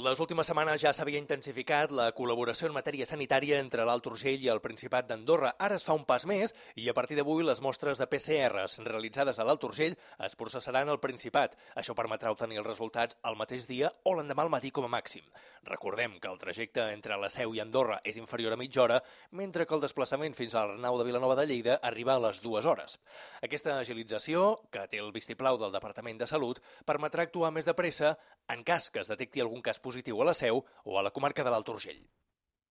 Les últimes setmanes ja s'havia intensificat la col·laboració en matèria sanitària entre l'Alt Urgell i el Principat d'Andorra. Ara es fa un pas més i a partir d'avui les mostres de PCRs realitzades a l'Alt Urgell es processaran al Principat. Això permetrà obtenir els resultats el mateix dia o l'endemà al matí com a màxim. Recordem que el trajecte entre la Seu i Andorra és inferior a mitja hora, mentre que el desplaçament fins a l'Arnau de Vilanova de Lleida arriba a les 2 hores. Aquesta agilització, que té el vistiplau del Departament de Salut, permetrà actuar més de pressa en cas que es detecti algun cas positiu a la Seu o a la comarca de l'Alt Urgell.